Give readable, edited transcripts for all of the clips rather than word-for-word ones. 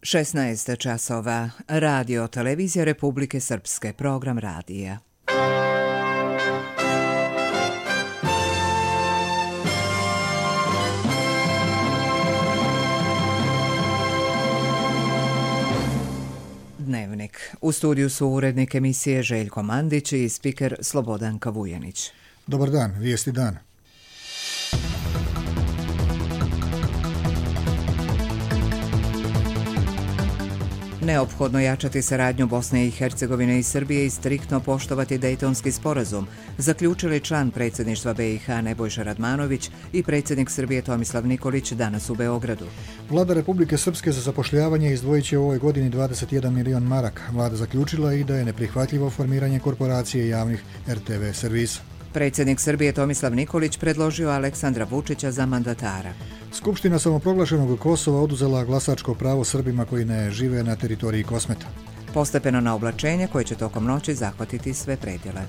16 časova. Radio Televizija Republike Srpske. Program radija. Dnevnik. U studiju su urednik emisije Željko Mandić i spiker Slobodanka Vujanić. Dobar dan, vijesti dana. Neophodno jačati saradnju Bosne i Hercegovine i Srbije i striktno poštovati Dejtonski sporazum, zaključili član predsjedništva BiH Nebojša Radmanović i predsjednik Srbije Tomislav Nikolić danas u Beogradu. Vlada Republike Srpske za zapošljavanje izdvojit će u ovoj godini 21 milion maraka. Vlada zaključila i da je neprihvatljivo formiranje korporacije javnih RTV servisa. Predsjednik Srbije Tomislav Nikolić predložio Aleksandra Vučića za mandatara. Skupština samoproglašenog Kosova oduzela glasačko pravo Srbima koji ne žive na teritoriji Kosmeta. Postepeno na oblačenje koje će tokom noći zahvatiti sve predjele.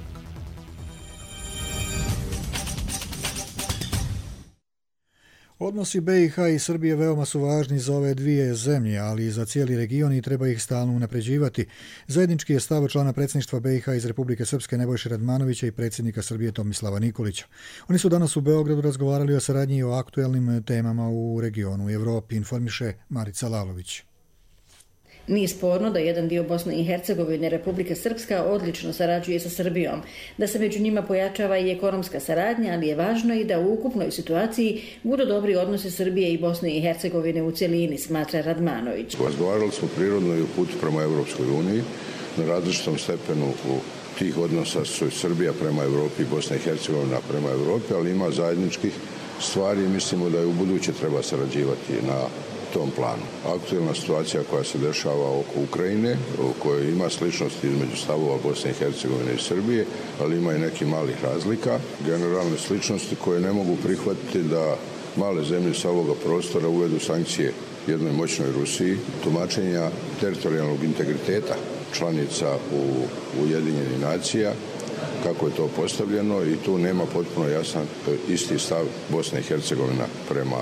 Odnosi BiH i Srbije veoma su važni za ove dvije zemlje, ali i za cijeli region i treba ih stalno unapređivati. Zajednički je stav člana predsjedništva BiH iz Republike Srpske Nebojše Radmanovića i predsjednika Srbije Tomislava Nikolića. Oni su danas u Beogradu razgovarali o saradnji i o aktuelnim temama u regionu i Evropi, informiše Marica Lalović. Nije sporno da jedan dio Bosne i Hercegovine Republika Srpska odlično sarađuje sa Srbijom, da se među njima pojačava i ekonomska saradnja, ali je važno i da u ukupnoj situaciji budu dobri odnosi Srbije i Bosne i Hercegovine u cjelini, smatra Radmanović. Razgovarali smo prirodno i u putu prema Evropskoj uniji, na različitom stepenu tih odnosa su Srbija prema Evropi i Bosna i Hercegovina prema Evropi, ali ima zajedničkih stvari i mislimo da je u buduće treba sarađivati na tom planu. Aktualna situacija koja se dešava oko Ukrajine, u kojoj ima sličnosti između stavova Bosne i Hercegovine i Srbije, ali ima i nekih malih razlika. Generalne sličnosti koje ne mogu prihvatiti da male zemlje sa ovoga prostora uvedu sankcije jednoj moćnoj Rusiji, tumačenja teritorijalnog integriteta članica u Ujedinjenih nacija, kako je to postavljeno i tu nema potpuno jasan isti stav Bosne i Hercegovina prema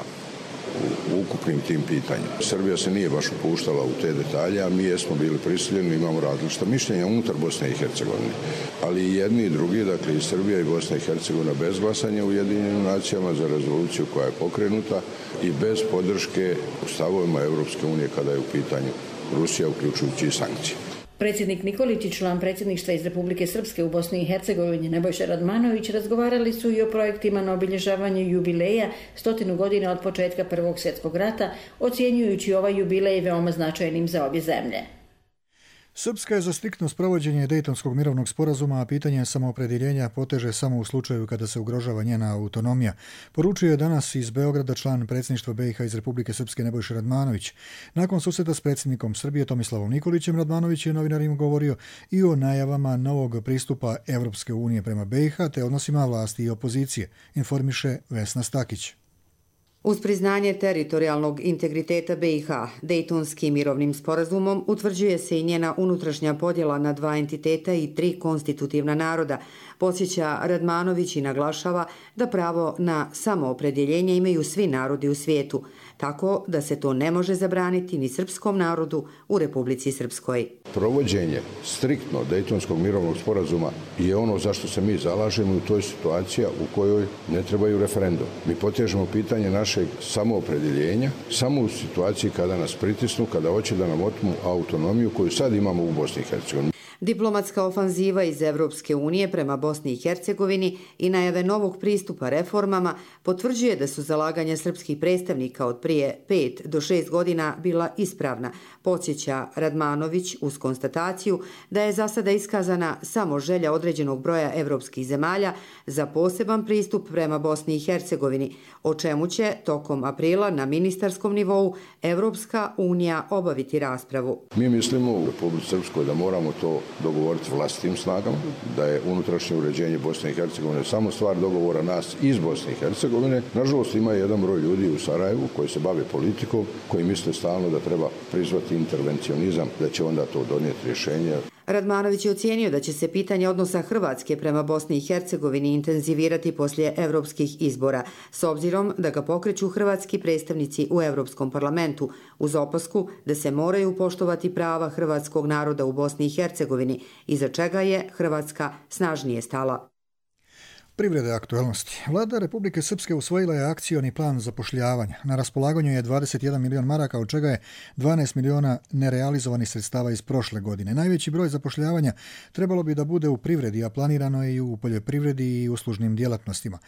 u ukupnim tim pitanjima. Srbija se nije baš upuštala u te detalje, a mi jesmo bili prisiljeni, imamo različita mišljenja unutar Bosne i Hercegovine. Ali i jedni i drugi, dakle i Srbija i Bosna i Hercegovina bez glasanja u Ujedinjenim nacijama za rezoluciju koja je pokrenuta i bez podrške u stavovima Europske unije kada je u pitanju Rusija, uključujući i sankcije. Predsjednik Nikolić i član predsjedništva iz Republike Srpske u Bosni i Hercegovini Nebojša Radmanović razgovarali su i o projektima na obilježavanju jubileja 100 godina od početka Prvog svjetskog rata, ocjenjujući ovaj jubilej veoma značajnim za obje zemlje. Srpska je za striktno sprovođenje Dejtonskog mirovnog sporazuma, a pitanje samoopredjeljenja poteže samo u slučaju kada se ugrožava njena autonomija. Poručio je danas iz Beograda član predsjedništva BiH iz Republike Srpske Nebojša Radmanović. Nakon susreta s predsjednikom Srbije Tomislavom Nikolićem, Radmanović je novinarima govorio i o najavama novog pristupa Evropske unije prema BiH te odnosima vlasti i opozicije, informiše Vesna Stakić. Uz priznanje teritorijalnog integriteta BiH, Dejtonskim mirovnim sporazumom utvrđuje se i njena unutrašnja podjela na dva entiteta i tri konstitutivna naroda. Podsjeća Radmanović i naglašava da pravo na samoopredjeljenje imaju svi narodi u svijetu, tako da se to ne može zabraniti ni srpskom narodu u Republici Srpskoj. Provođenje striktno Dejtonskog mirovnog sporazuma je ono zašto se mi zalažemo, u toj situacija u kojoj ne trebaju referendum. Mi potežemo pitanje našeg samoopredjeljenja samo u situaciji kada nas pritisnu, kada hoće da nam otmu autonomiju koju sad imamo u Bosni i Hercegovini. Diplomatska ofanziva iz Evropske unije prema Bosni i Hercegovini i najave novog pristupa reformama potvrđuje da su zalaganja srpskih predstavnika od prije 5 do 6 godina bila ispravna, podsjeća Radmanović uz konstataciju da je za sada iskazana samo želja određenog broja evropskih zemalja za poseban pristup prema Bosni i Hercegovini, o čemu će tokom aprila na ministarskom nivou Evropska unija obaviti raspravu. Mi mislimo u Republici Srpskoj da moramo to dogovoriti vlastitim snagama, da je unutrašnje uređenje Bosne i Hercegovine samo stvar dogovora nas iz Bosne i Hercegovine. Nažalost, ima jedan broj ljudi u Sarajevu koji se bave politikom, koji misle stalno da treba prizvati intervencionizam, da će onda to donijeti rješenje. Radmanović je ocijenio da će se pitanje odnosa Hrvatske prema Bosni i Hercegovini intenzivirati poslije evropskih izbora, s obzirom da ga pokreću hrvatski predstavnici u Europskom parlamentu, uz opasku da se moraju poštovati prava hrvatskog naroda u Bosni i Hercegovini, iza čega je Hrvatska snažnije stala. Privrede aktualnosti. Vlada Republike Srpske usvojila je akcioni plan zapošljavanja. Na raspolaganju je 21 milion maraka, od čega je 12 miliona nerealizovanih sredstava iz prošle godine. Najveći broj zapošljavanja trebalo bi da bude u privredi, a planirano je i u poljoprivredi i uslužnim djelatnostima.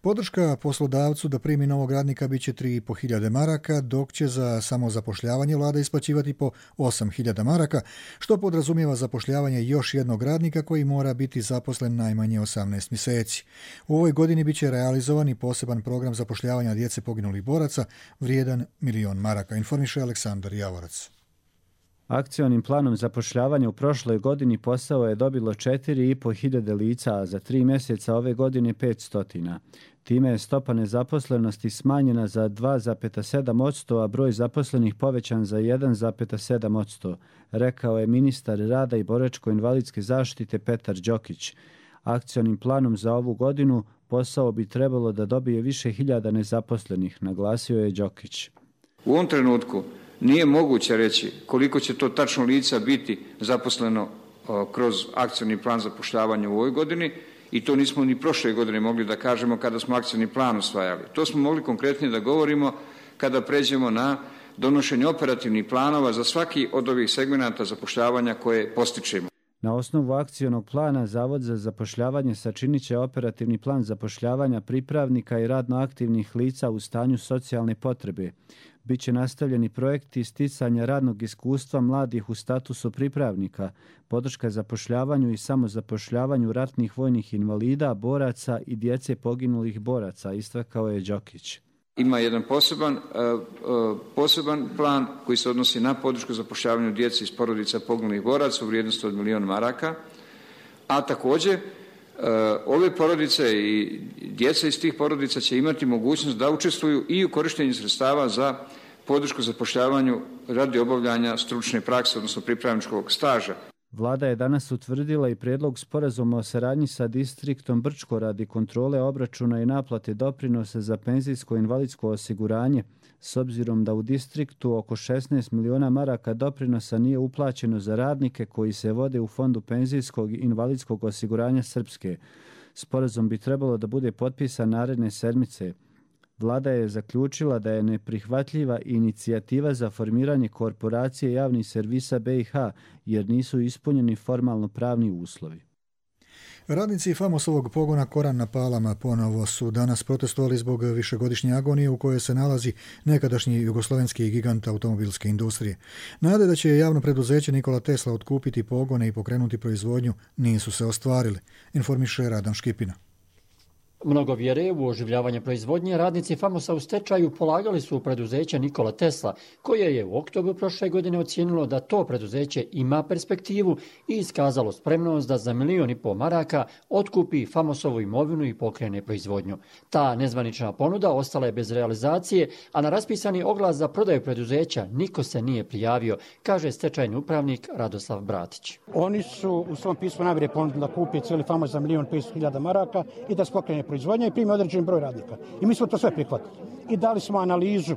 Podrška poslodavcu da primi novog radnika biće 3.500 maraka, dok će za samozapošljavanje vlada isplaćivati po 8.000 maraka, što podrazumijeva zapošljavanje još jednog radnika koji mora biti zaposlen najmanje 18 mjeseci. U ovoj godini biće realizovan i poseban program zapošljavanja djece poginulih boraca vrijedan 1 milion maraka, informiše Aleksandar Javorac. Akcionim planom zapošljavanja u prošloj godini posao je dobilo 4.500 lica, a za 3 mjeseca ove godine 500. Time je stopa nezaposlenosti smanjena za 2,7%, a broj zaposlenih povećan za 1,7%, rekao je ministar rada i boračko-invalidske zaštite Petar Đokić. Akcionim planom za ovu godinu posao bi trebalo da dobije više hiljada nezaposlenih, naglasio je Đokić. U ovom trenutku nije moguće reći koliko će to tačno lica biti zaposleno kroz akcioni plan zapošljavanja u ovoj godini i to nismo ni prošle godine mogli da kažemo kada smo akcioni plan usvajali. To smo mogli konkretnije da govorimo kada pređemo na donošenje operativnih planova za svaki od ovih segmenata zapošljavanja koje postičemo. Na osnovu akcionog plana Zavod za zapošljavanje sačinit će operativni plan zapošljavanja pripravnika i radno aktivnih lica u stanju socijalne potrebe. Biće nastavljeni projekti sticanja radnog iskustva mladih u statusu pripravnika, podrška zapošljavanju i samozapošljavanju ratnih vojnih invalida, boraca i djece poginulih boraca, istakao je Đokić. Ima jedan poseban plan koji se odnosi na podršku zapošljavanju djece iz porodica poginulih boraca u vrijednosti od 1 milion maraka, a također ove porodice i djeca iz tih porodica će imati mogućnost da učestvuju i u korištenju sredstava za podršku zapošljavanju radi obavljanja stručne prakse, odnosno pripravničkog staža. Vlada je danas utvrdila i prijedlog sporazuma o saradnji sa distriktom Brčko radi kontrole obračuna i naplate doprinosa za penzijsko i invalidsko osiguranje, s obzirom da u distriktu oko 16 miliona maraka doprinosa nije uplaćeno za radnike koji se vode u Fondu penzijskog i invalidskog osiguranja Srpske. Sporazum bi trebalo da bude potpisan naredne sedmice. Vlada je zaključila da je neprihvatljiva inicijativa za formiranje korporacije javnih servisa BiH jer nisu ispunjeni formalno pravni uslovi. Radnici Famosovog pogona Koran na Palama ponovo su danas protestovali zbog višegodišnje agonije u kojoj se nalazi nekadašnji jugoslovenski gigant automobilske industrije. Nade da će javno preduzeće Nikola Tesla otkupiti pogone i pokrenuti proizvodnju nisu se ostvarili, informiše Radan Škipina. Mnogo vjere u oživljavanje proizvodnje radnici Famosa u stečaju polagali su u preduzeće Nikola Tesla, koje je u oktobru prošle godine ocijenilo da to preduzeće ima perspektivu i iskazalo spremnost da za 1,5 miliona maraka otkupi Famosovu imovinu i pokrene proizvodnju. Ta nezvanična ponuda ostala je bez realizacije, a na raspisani oglas za prodaju preduzeća niko se nije prijavio, kaže stečajni upravnik Radoslav Bratić. Oni su u svom pismu namjere ponudili da kupi cijeli Famos za 1.500.000 maraka i da se pokrene proizvodnja i primi određen broj radnika. I mi smo to sve prihvatili. I dali smo analizu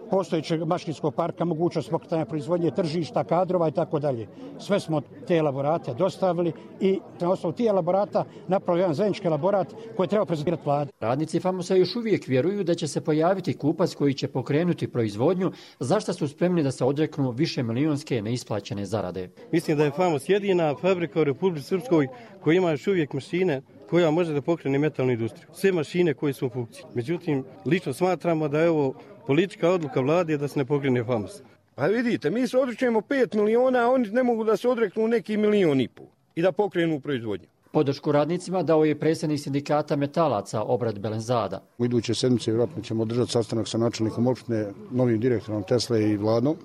postojećeg mašinskog parka, mogućnost pokretanja proizvodnje, tržišta, kadrova i tako dalje. Sve smo te elaborate dostavili i na osnovu tih elaborata napravili jedan zajednički elaborat koji treba prezentirati vladi. Radnici Famosa još uvijek vjeruju da će se pojaviti kupac koji će pokrenuti proizvodnju, za što su spremni da se odreknu više milionske neisplaćene zarade. Mislim da je Famos jedina fabrika u Republici Srpskoj koja ima još uvijek mašine koja može da pokrene metalnu industriju. Sve mašine koje su u funkciji. Međutim, lično smatramo da je ovo politička odluka vlade da se ne pokrene Famos. Pa vidite, mi se odrećemo 5 miliona, a oni ne mogu da se odreknu neki 1,5 miliona i da pokrenu proizvodnju. Podršku radnicima dao je predsjednik sindikata metalaca Obrad Belenzada. U iduće sedmice vjerojatno ćemo održati sastanak sa načelnikom opštine, novim direktorom Tesle i vladom,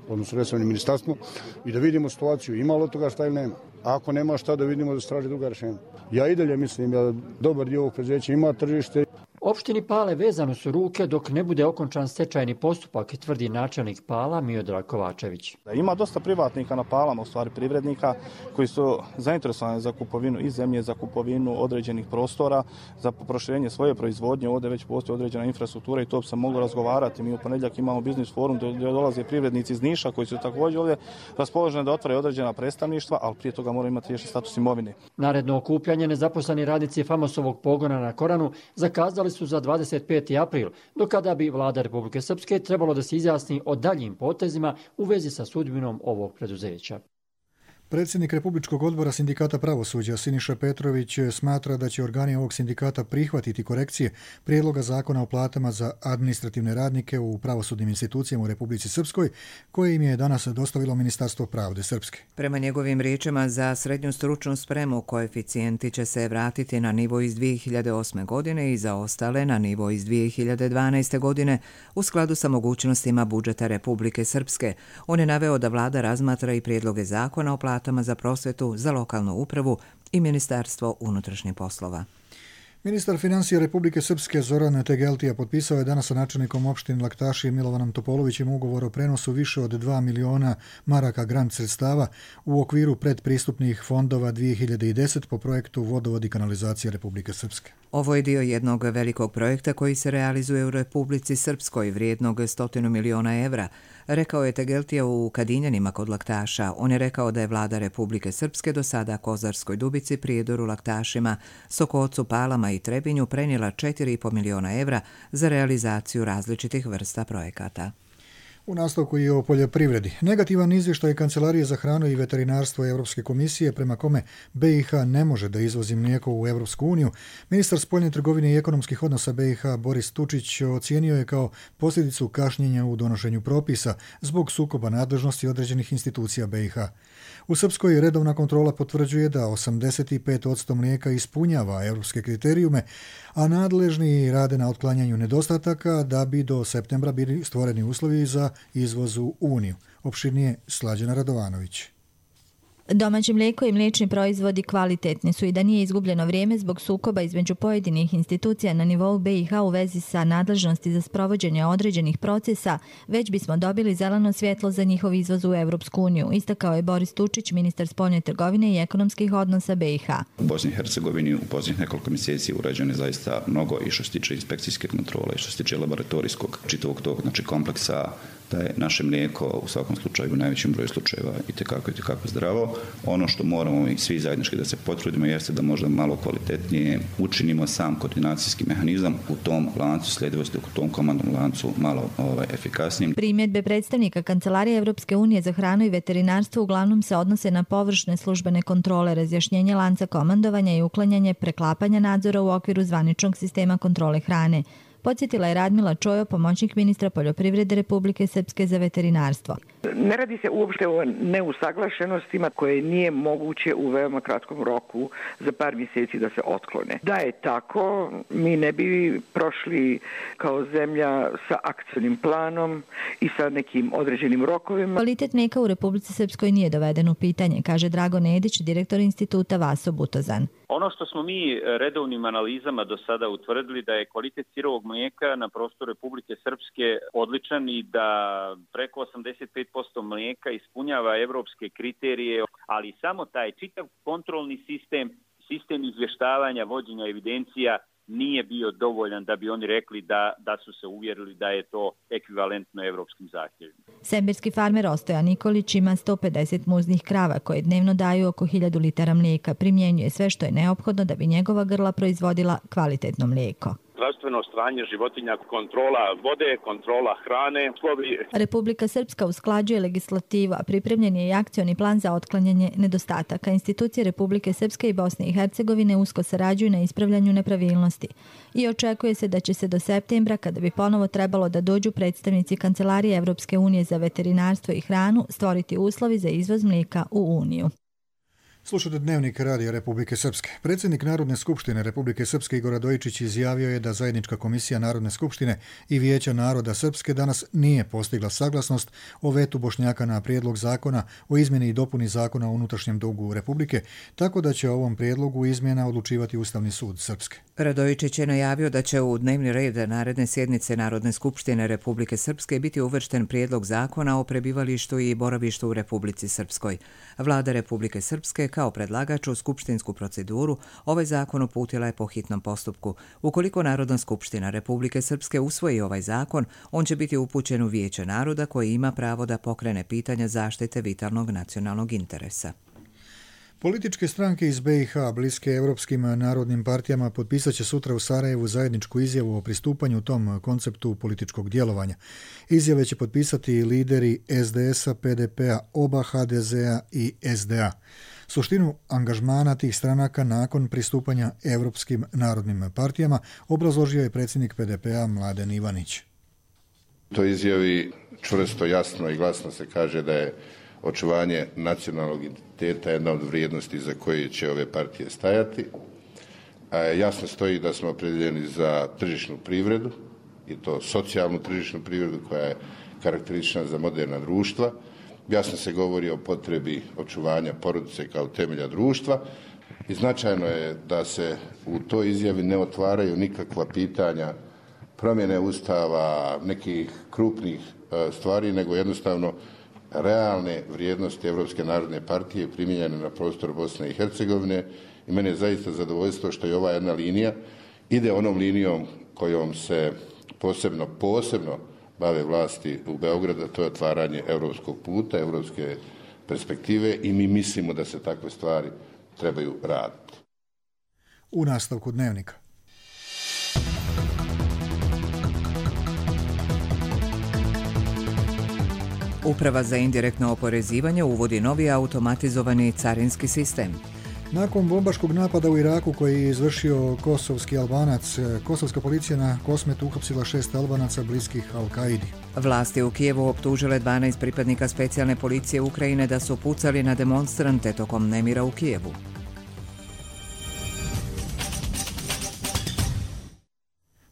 odnosno resornim ministarstvom, i da vidimo situaciju ima li od toga šta ili nema. A ako nema šta, da vidimo da se traži druga rješenja. Ja i dalje mislim da dobar dio ovog preduzeća ima tržište. Opštini Pale vezano su ruke dok ne bude okončan stečajni postupak, tvrdi načelnik Pala Miodrag Kovačević. Ima dosta privatnika na Palama, u stvari privrednika, koji su zainteresovani za kupovinu i zemlje, za kupovinu određenih prostora, za proširenje svoje proizvodnje. Ovdje već postoji određena infrastruktura i to bi se moglo razgovarati. Mi u ponedjeljak imamo biznis forum gdje dolaze privrednici iz Niša koji su također ovdje raspoloženi da otvore određena predstavništva, ali prije toga moraju imati riješen status imovine. Naredno okupljanje nezaposleni radnici Famosovog pogona na Koranu zakazali su za 25. april, do kada bi vlada Republike Srpske trebalo da se izjasni o daljim potezima u vezi sa sudbinom ovog preduzeća. Predsjednik Republičkog odbora sindikata pravosuđa Siniša Petrović smatra da će organi ovog sindikata prihvatiti korekcije prijedloga zakona o platama za administrativne radnike u pravosudnim institucijama u Republici Srpskoj, koje im je danas dostavilo Ministarstvo pravde Srpske. Prema njegovim riječima, za srednju stručnu spremu koeficijenti će se vratiti na nivo iz 2008. godine i za ostale na nivo iz 2012. godine u skladu sa mogućnostima budžeta Republike Srpske. On je naveo da vlada razmatra i prijedloge zakona o platama za prosvetu, za lokalnu upravu i Ministarstvo unutrašnjih poslova. Ministar financija Republike Srpske Zoran Tegeltija potpisao je danas sa načelnikom opštine Laktaši Milovanom Topolovićem ugovor o prenosu više od 2 miliona maraka grant sredstava u okviru predpristupnih fondova 2010 po projektu Vodovod i kanalizacija Republike Srpske. Ovo je dio jednog velikog projekta koji se realizuje u Republici Srpskoj vrijednog 100 miliona evra, rekao je Tegeltija u Kadinjanima kod Laktaša. On je rekao da je vlada Republike Srpske do sada Kozarskoj Dubici, Prijedoru, Laktašima, Sokocu, Palama i Trebinju prenijela 4,5 miliona evra za realizaciju različitih vrsta projekata. U nastavku i o poljoprivredi. Negativan izvještaj Kancelarije za hranu i veterinarstvo Europske komisije prema kome BiH ne može da izvozi mlijeko u Europsku uniju, ministar spoljne trgovine i ekonomskih odnosa BiH Boris Tučić ocijenio je kao posljedicu kašnjenja u donošenju propisa zbog sukoba nadležnosti određenih institucija BiH. U Srpskoj redovna kontrola potvrđuje da 85% mlijeka ispunjava europske kriterijume, a nadležni rade na otklanjanju nedostataka da bi do septembra bili stvoreni uslovi za izvoz u Uniju. Opširnije Slađana Radovanović. Domaće mlijeko i mliječni proizvodi kvalitetni su i da nije izgubljeno vrijeme zbog sukoba između pojedinih institucija na nivou BiH u vezi sa nadležnosti za sprovođenje određenih procesa, već bismo dobili zeleno svjetlo za njihov izvoz u Evropsku uniju, istakao je Boris Tučić, ministar spoljne trgovine i ekonomskih odnosa BiH. U Bosni i Hercegovini u posljednjih nekoliko mjeseci urađeno je zaista mnogo i što se tiče inspekcijske kontrole i što se tiče laboratorijskog čitavog tog kompleksa, da je naše mlijeko u svakom slučaju u najvećem broju slučajeva i tekako zdravo. Ono što moramo i svi zajednički da se potrudimo jeste da možda malo kvalitetnije učinimo sam koordinacijski mehanizam u tom lancu sljedivosti, u tom komandnom lancu malo efikasnijim. Primjedbe predstavnika Kancelarije Evropske unije za hranu i veterinarstvo uglavnom se odnose na površne službene kontrole, razjašnjenje lanca komandovanja i uklanjanje preklapanja nadzora u okviru zvaničnog sistema kontrole hrane. Podsjetila je Radmila Čojo, pomoćnik ministra poljoprivrede Republike Srpske za veterinarstvo. Ne radi se uopšte o neusaglašenostima koje nije moguće u veoma kratkom roku za par mjeseci da se otklone. Da je tako, mi ne bi prošli kao zemlja sa akcionim planom i sa nekim određenim rokovima. Kvalitet mlijeka u Republici Srpskoj nije doveden u pitanje, kaže Drago Nedić, direktor instituta Vaso Butozan. Ono što smo mi redovnim analizama do sada utvrdili da je kvalitet sirovog mlijeka na prostoru Republike Srpske odličan i da preko 85% mlijeka ispunjava evropske kriterije, ali samo taj čitav kontrolni sistem izvještavanja, vođenja evidencija nije bio dovoljan da bi oni rekli da su se uvjerili da je to ekvivalentno evropskim zahtjevima. Semberski farmer Ostoja Nikolić ima 150 muznih krava koje dnevno daju oko 1000 litara mlijeka. Primjenjuje sve što je neophodno da bi njegova grla proizvodila kvalitetno mlijeko. Zdravstveno stanje životinja, kontrola vode, kontrola hrane. Republika Srpska usklađuje legislativu, a pripremljen je i akcioni plan za otklanjanje nedostataka. Institucije Republike Srpske i Bosne i Hercegovine usko sarađuju na ispravljanju nepravilnosti i očekuje se da će se do septembra, kada bi ponovo trebalo da dođu predstavnici Kancelarije Evropske unije za veterinarstvo i hranu, stvoriti uslovi za izvoz mlijeka u Uniju. Slušate Dnevnik Radija Republike Srpske. Predsjednik Narodne skupštine Republike Srpske Igor Radojičić izjavio je da Zajednička komisija Narodne skupštine i Vijeća naroda Srpske danas nije postigla saglasnost o vetu Bošnjaka na prijedlog zakona o izmjeni i dopuni zakona o unutrašnjem dugu Republike, tako da će o ovom prijedlogu izmjena odlučivati Ustavni sud Srpske. Radojičić je najavio da će u dnevni red naredne sjednice Narodne skupštine Republike Srpske biti uvršten prijedlog zakona o prebivalištu i boravištu u Republici Srpskoj. Vlada Republike Srpske kao predlagač u skupštinsku proceduru ovaj zakon uputila je po hitnom postupku. Ukoliko Narodna skupština Republike Srpske usvoji ovaj zakon, on će biti upućen u Vijeće naroda koji ima pravo da pokrene pitanja zaštite vitalnog nacionalnog interesa. Političke stranke iz BiH bliske evropskim narodnim partijama potpisat će sutra u Sarajevu zajedničku izjavu o pristupanju tom konceptu političkog djelovanja. Izjave će potpisati lideri SDS-a, PDP-a, oba HDZ-a i SDA. Suštinu angažmana tih stranaka nakon pristupanja evropskim narodnim partijama obrazložio je predsjednik PDP-a Mladen Ivanić. To izjavi čvrsto, jasno i glasno se kaže da je očuvanje nacionalnog identiteta jedna od vrijednosti za koje će ove partije stajati. Jasno stoji da smo opredjeljeni za tržišnu privredu i to socijalnu tržišnu privredu koja je karakteristična za moderna društva. Jasno se govori o potrebi očuvanja porodice kao temelja društva i značajno je da se u toj izjavi ne otvaraju nikakva pitanja promjene ustava, nekih krupnih stvari, nego jednostavno realne vrijednosti Evropske narodne partije primijenjene na prostoru Bosne i Hercegovine i meni je zaista zadovoljstvo što je ova jedna linija ide onom linijom kojom se posebno bave vlasti u Beogradu, to je otvaranje europskog puta, europske perspektive i mi mislimo da se takve stvari trebaju raditi. U nastavku Dnevnika. Uprava za indirektno oporezivanje uvodi novi automatizovani carinski sistem. Nakon bombaškog napada u Iraku koji je izvršio kosovski Albanac, kosovska policija na Kosmetu uhapsila 6 Albanaca bliskih Al-Kaidi. Vlasti u Kijevu optužile 12 pripadnika specijalne policije Ukrajine da su pucali na demonstrante tokom nemira u Kijevu.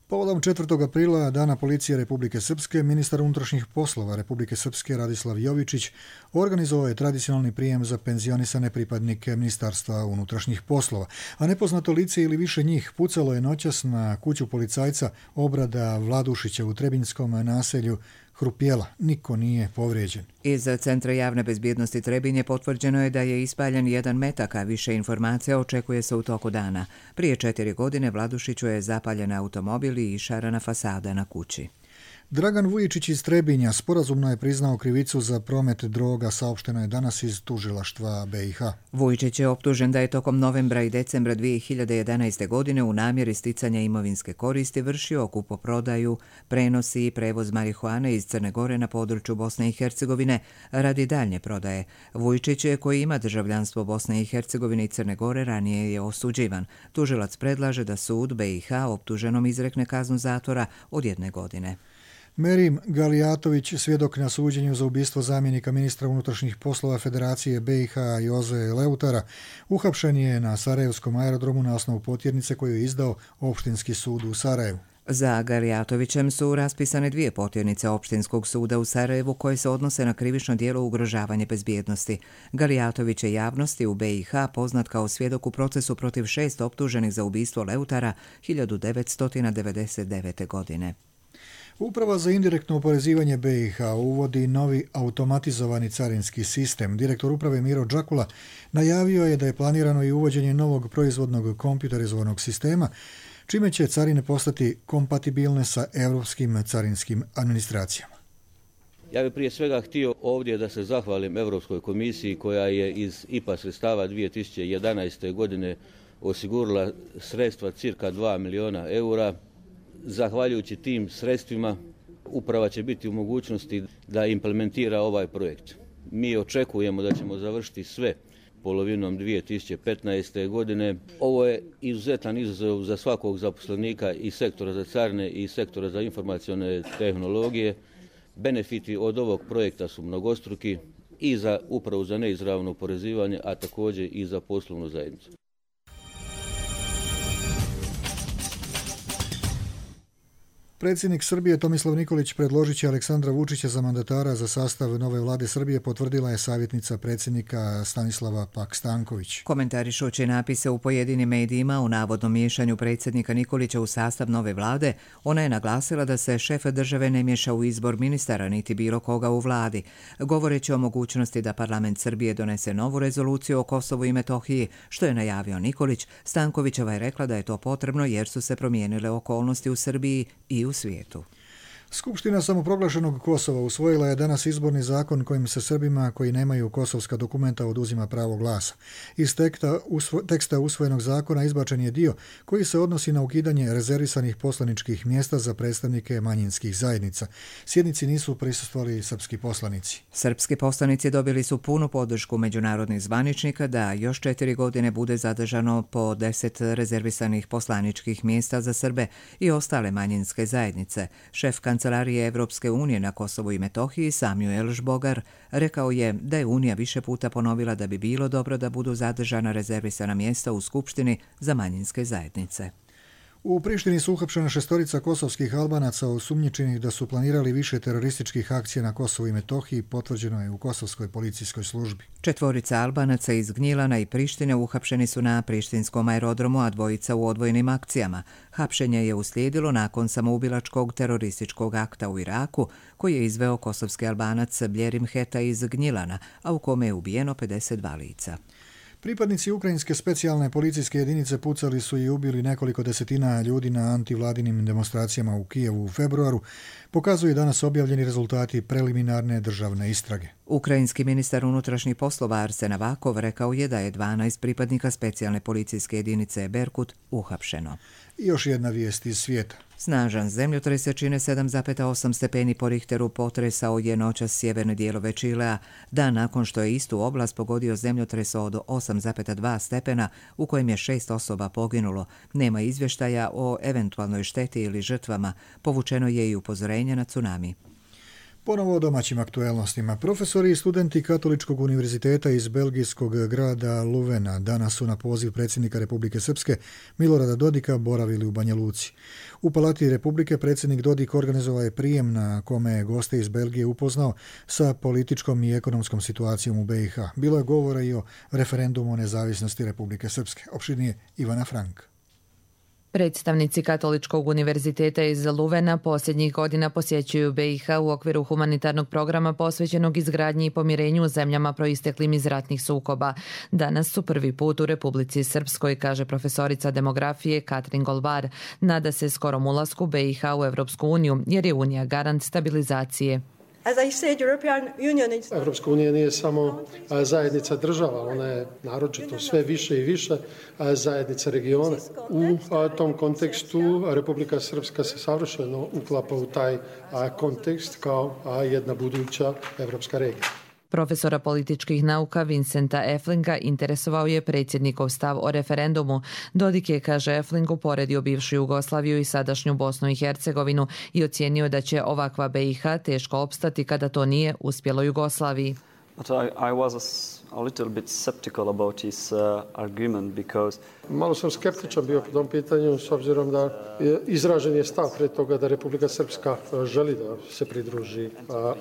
Povodom 4. aprila, Dana policije Republike Srpske, ministar unutrašnjih poslova Republike Srpske Radislav Jovičić organizovao je tradicionalni prijem za penzionisane pripadnike Ministarstva unutrašnjih poslova, a nepoznato lice ili više njih pucalo je noćas na kuću policajca Obrada Vladušića u Trebinjskom naselju Hrupjela. Niko nije povrijeđen. Iz Centra javne bezbjednosti Trebinje potvrđeno je da je ispaljen 1 metak, a više informacija očekuje se u toku dana. Prije 4 godine Vladušiću je zapaljen automobil i išarana fasada na kući. Dragan Vujičić iz Trebinja sporazumno je priznao krivicu za promet droga, saopšteno je danas iz tužilaštva BiH. Vujičić je optužen da je tokom novembra i decembra 2011. godine u namjeri sticanja imovinske koristi vršio kupoprodaju, prenosi i prevoz marihuane iz Crne Gore na području Bosne i Hercegovine radi daljnje prodaje. Vujičić, koji ima državljanstvo Bosne i Hercegovine i Crne Gore, ranije je osuđivan. Tužilac predlaže da sud BiH optuženom izrekne kaznu zatvora od 1 godine. Merim Galijatović, svjedok na suđenju za ubistvo zamjenika ministra unutrašnjih poslova Federacije BiH Joze Leutara, uhapšen je na Sarajevskom aerodromu na osnovu potjernice koju je izdao Opštinski sud u Sarajevu. Za Galijatovićem su raspisane 2 potjernice Opštinskog suda u Sarajevu koje se odnose na krivično djelo ugrožavanje bezbjednosti. Galijatović je javnosti u BiH poznat kao svjedok u procesu protiv 6 optuženih za ubistvo Leutara 1999. godine. Uprava za indirektno oporezivanje BiH uvodi novi automatizovani carinski sistem. Direktor uprave Miro Đakula najavio je da je planirano i uvođenje novog proizvodnog kompjuterizovanog sistema, čime će carine postati kompatibilne sa evropskim carinskim administracijama. Ja bih prije svega htio ovdje da se zahvalim Europskoj komisiji koja je iz IPA sredstava 2011. godine osigurala sredstva cirka 2 milijuna eura. Zahvaljujući tim sredstvima uprava će biti u mogućnosti da implementira ovaj projekt. Mi očekujemo da ćemo završiti sve polovinom 2015. godine. Ovo je izuzetan izazov za svakog zaposlenika i sektora za carine i sektora za informacione tehnologije. Benefiti od ovog projekta su mnogostruki. i za upravu za neizravno oporezivanje, a također i za poslovnu zajednicu. Predsjednik Srbije Tomislav Nikolić predložit će Aleksandra Vučića za mandatara za sastav nove vlade Srbije, potvrdila je savjetnica predsjednika Stanislava Pak-Stanković. Komentarišući napise u pojedinim medijima o navodnom miješanju predsjednika Nikolića u sastav nove vlade, ona je naglasila da se šef države ne miješa u izbor ministara niti bilo koga u vladi. Govoreći o mogućnosti da parlament Srbije donese novu rezoluciju o Kosovu i Metohiji, što je najavio Nikolić, Stankovićeva je rekla da je to potrebno jer su se promijenile okolnosti u Srbiji i u svijetu. Skupština samoproglašenog Kosova usvojila je danas izborni zakon kojim se Srbima koji nemaju kosovska dokumenta oduzima pravo glasa. Iz teksta usvojenog zakona izbačen je dio koji se odnosi na ukidanje rezervisanih poslaničkih mjesta za predstavnike manjinskih zajednica. Sjednici nisu prisustvovali srpski poslanici. Srpski poslanici dobili su punu podršku međunarodnih zvaničnika da još 4 godine bude zadržano po 10 rezervisanih poslaničkih mjesta za Srbe i ostale manjinske zajednice. Šef Kancelarije Evropske unije na Kosovu i Metohiji Samuel Žbogar rekao je da je Unija više puta ponovila da bi bilo dobro da budu zadržana rezervisana mjesta u Skupštini za manjinske zajednice. U Prištini su uhapšena 6 kosovskih Albanaca osumnjičenih da su planirali više terorističkih akcija na Kosovu i Metohiji, potvrđeno je u kosovskoj policijskoj službi. 4 Albanaca iz Gnjilana i Prištine uhapšeni su na prištinskom aerodromu, a 2 u odvojenim akcijama. Hapšenje je uslijedilo nakon samoubilačkog terorističkog akta u Iraku, koji je izveo kosovski Albanac Bljerim Heta iz Gnjilana, a u kome je ubijeno 52 lica. Pripadnici ukrajinske specijalne policijske jedinice pucali su i ubili nekoliko desetina ljudi na antivladinim demonstracijama u Kijevu u februaru, pokazuju danas objavljeni rezultati preliminarne državne istrage. Ukrajinski ministar unutrašnjih poslova Arsen Avakov rekao je da je 12 pripadnika specijalne policijske jedinice Berkut uhapšeno. I još jedna vijest iz svijeta. Snažan zemljotrese 7,8 stepeni po Richteru potresao je noćas sjeverne dijelove Čilea, dan nakon što je istu oblast pogodio zemljotres od 8,2 stepena u kojem je 6 osoba poginulo. Nema izvještaja o eventualnoj šteti ili žrtvama. Povučeno je i upozorenje na tsunami. Ponovo o domaćim aktuelnostima. Profesori i studenti Katoličkog univerziteta iz belgijskog grada Luvena danas su na poziv predsjednika Republike Srpske Milorada Dodika boravili u Banja Luci. U Palati Republike predsjednik Dodik organizovao je prijem na kome je goste iz Belgije upoznao sa političkom i ekonomskom situacijom u BiH. Bilo je govora i o referendumu o nezavisnosti Republike Srpske. Opširnije Ivana Frank. Predstavnici Katoličkog univerziteta iz Luvena posljednjih godina posjećuju BiH u okviru humanitarnog programa posvećenog izgradnji i pomirenju u zemljama proisteklim iz ratnih sukoba. Danas su prvi put u Republici Srpskoj, kaže profesorica demografije Katrin Golvar. Nada se skorom ulasku BiH u Evropsku uniju, jer je Unija garant stabilizacije. Evropska unija nije samo zajednica država, ona je naročito sve više i više zajednica regiona. U tom kontekstu Republika Srpska se savršeno uklapa u taj kontekst kao jedna buduća evropska regija. Profesora političkih nauka Vincenta Eflinga interesovao je predsjednikov stav o referendumu. Dodik je, kaže Efling, uporedio bivšu Jugoslaviju i sadašnju Bosnu i Hercegovinu i ocijenio da će ovakva BiH teško opstati kada to nije uspjelo Jugoslaviji. But I was a little bit skeptical about his argument because... Malo sam skeptičan bio po tom pitanju s obzirom da izražen je stav pre toga da Republika Srpska želi da se pridruži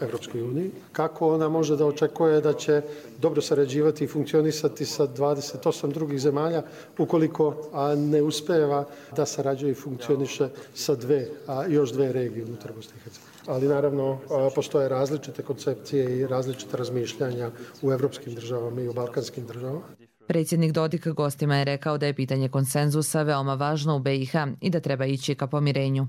Evropskoj uniji. Kako ona može da očekuje da će dobro sarađivati i funkcionisati sa 28 drugih zemalja ukoliko ne uspeva da sarađuje i funkcioniše sa još dve regije unutar Bosne i Hercegovine. Ali naravno postoje različite koncepcije i različite razmišljanja u evropskim državama i u balkanskim državama. Predsjednik Dodik gostima je rekao da je pitanje konsenzusa veoma važno u BiH i da treba ići ka pomirenju.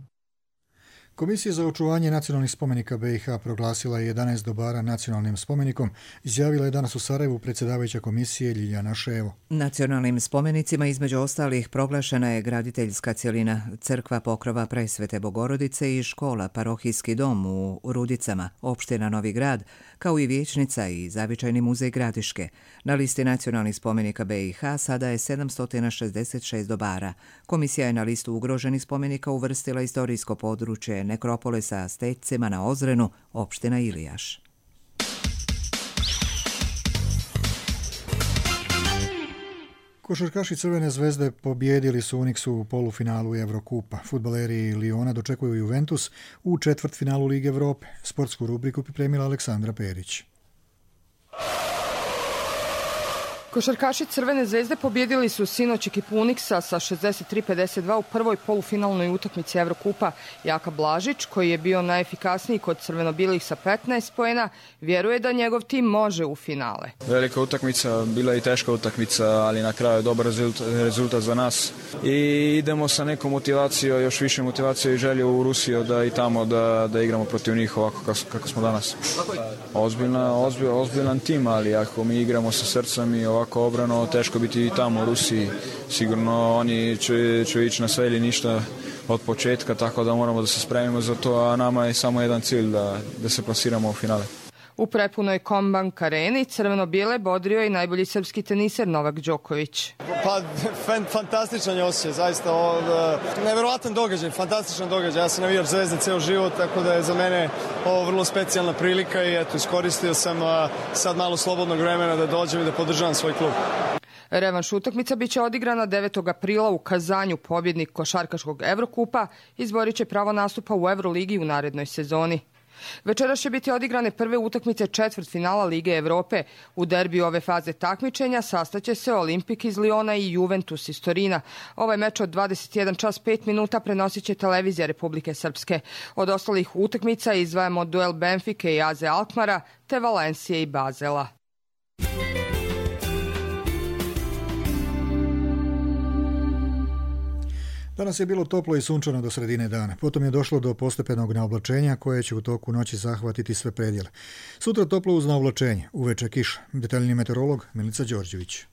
Komisija za očuvanje nacionalnih spomenika BiH proglasila je 11 dobara nacionalnim spomenikom, izjavila je danas u Sarajevu predsjedavajuća komisije Ljiljana Ševo. Nacionalnim spomenicima između ostalih proglašena je graditeljska cjelina, crkva Pokrova Presvete Bogorodice i škola Parohijski dom u Rudicama, opština Novi Grad, kao i vijećnica i zavičajni muzej Gradiške. Na listi nacionalnih spomenika BiH sada je 766 dobara. Komisija je na listu ugroženih spomenika uvrstila istorijsko područje nekropole sa stecima na Ozrenu, opština Ilijaš. Košarkaši Crvene zvezde pobijedili su Uniksu u polufinalu Evrokupa. Fudbaleri Liona dočekuju Juventus u četvrtfinalu Lige Evrope. Sportsku rubriku pripremila Aleksandra Perić. Košarkaši Crvene zvezde pobjedili su sinoć ekipu Uniksa sa 63-52 u prvoj polufinalnoj utakmici Evrokupa. Jaka Blažić, koji je bio najefikasniji kod crveno-bilih sa 15 poena, vjeruje da njegov tim može u finale. Velika utakmica, bila je i teška utakmica, ali na kraju je dobar rezultat za nas. I idemo sa nekom motivacijom, još više motivacije i želje u Rusiju da i tamo da igramo protiv njih ovako kako smo danas. Ozbiljan tim, ali ako mi igramo sa srcem i ovako obrano, teško biti i tamo u Rusiji. Sigurno oni će ići na sve ili ništa od početka, tako da moramo da se spremimo za to, a nama je samo jedan cilj da se plasiramo u finale. U prepunoj Kombank areni crveno-bijele bodrio i najbolji srpski teniser Novak Đoković. Pa, fantastičan je osjećaj, zaista neverovatan događaj, fantastičan događaj. Ja sam navijač Zvezde ceo život, tako da je za mene ovo vrlo specijalna prilika i eto, iskoristio sam sad malo slobodnog vremena da dođem i da podržavam svoj klub. Revanš utakmica biće odigrana 9. aprila u Kazanju. Pobjednik košarkaškog Evrokupa izborit će pravo nastupa u Evroligi u narednoj sezoni. Večeras će biti odigrane prve utakmice četvrtfinala Lige Evrope. U derbiju ove faze takmičenja sastaće se Olimpik iz Liona i Juventus iz Torina. Ovaj meč od 21 čas 5 minuta prenosit će televizija Republike Srpske. Od ostalih utakmica izdvajamo duel Benfike i AZ Alkmara te Valencije i Bazela. Danas je bilo toplo i sunčano do sredine dana. Potom je došlo do postepenog naoblačenja koje će u toku noći zahvatiti sve predjele. Sutra toplo uz naoblačenje, uveče kiša. Detaljni meteorolog Milica Đorđević.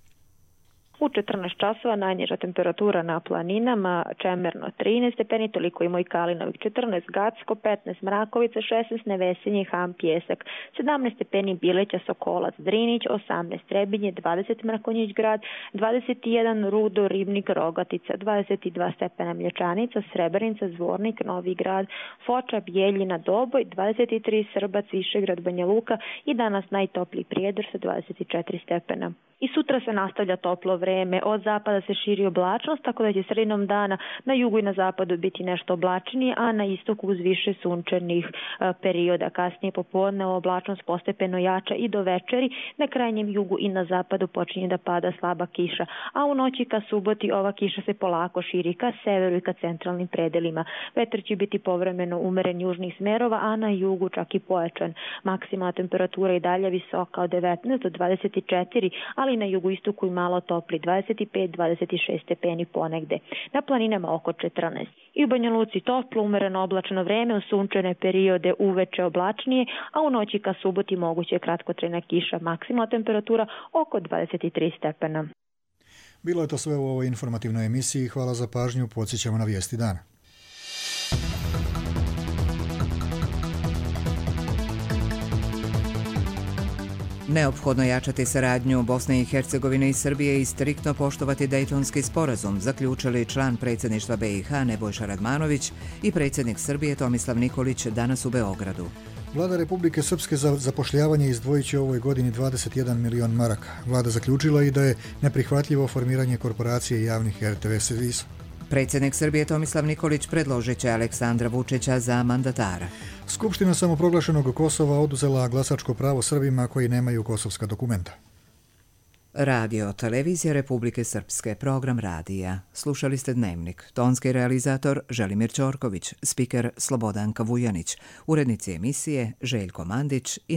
U 14 časova najniža temperatura na planinama, Čemerno 13 stepeni, toliko i moj Kalinovik 14, Gacko 15, Mrakovica 16, Nevesinje, Ham, Pjesak 17 stepeni, Bileća, Sokolac, Drinić 18, Trebinje 20, Mrakonjić grad 21, Rudo, Ribnik, Rogatica 22 stepena, Mlječanica, Srebrenica, Zvornik, Novi grad, Foča, Bjeljina, Doboj 23, Srbac, Višegrad, Banja Luka i danas najtopliji Prijedor sa 24 stepena. I sutra se nastavlja toplo vreme, od zapada se širi oblačnost, tako da će sredinom dana na jugu i na zapadu biti nešto oblačnije, a na istoku uz više sunčanih perioda. Kasnije popodne oblačnost postepeno jača i do večeri, na krajnjem jugu i na zapadu počinje da pada slaba kiša, a u noći ka suboti ova kiša se polako širi ka severu i ka centralnim predelima. Vetar će biti povremeno umeren južnih smerova, a na jugu čak i pojačan. Maksimalna temperatura i dalje visoka od 19 do 24, ali na jugoistoku i malo topli 25-26 stepeni ponegde. Na planinama oko 14. I u Banja Luci toplo, umereno oblačno vreme, u sunčane periode uveče oblačnije, a u noći ka suboti moguće kratkotrajna kiša, maksimalna temperatura oko 23 stepena. Bilo je to sve u ovoj informativnoj emisiji. Hvala za pažnju. Podsjećamo na vijesti dana. Neophodno jačati saradnju Bosne i Hercegovine i Srbije i striktno poštovati Dejtonski sporazum, zaključili član predsjedništva BiH Nebojša Radmanović i predsjednik Srbije Tomislav Nikolić danas u Beogradu. Vlada Republike Srpske za zapošljavanje izdvojit će u ovoj godini 21 milion maraka. Vlada zaključila i da je neprihvatljivo formiranje korporacije javnih RTV servisa. Predsjednik Srbije Tomislav Nikolić predložit će Aleksandra Vučića za mandatara. Skupština samoproglašenog Kosova oduzela glasačko pravo Srbima koji nemaju kosovska dokumenta. Radio Televizija Republike Srpske, program radija. Slušali ste Dnevnik. Tonski realizator Želimir Ćorković, spiker Slobodanka Vujanić, urednici emisije Željko Mandić i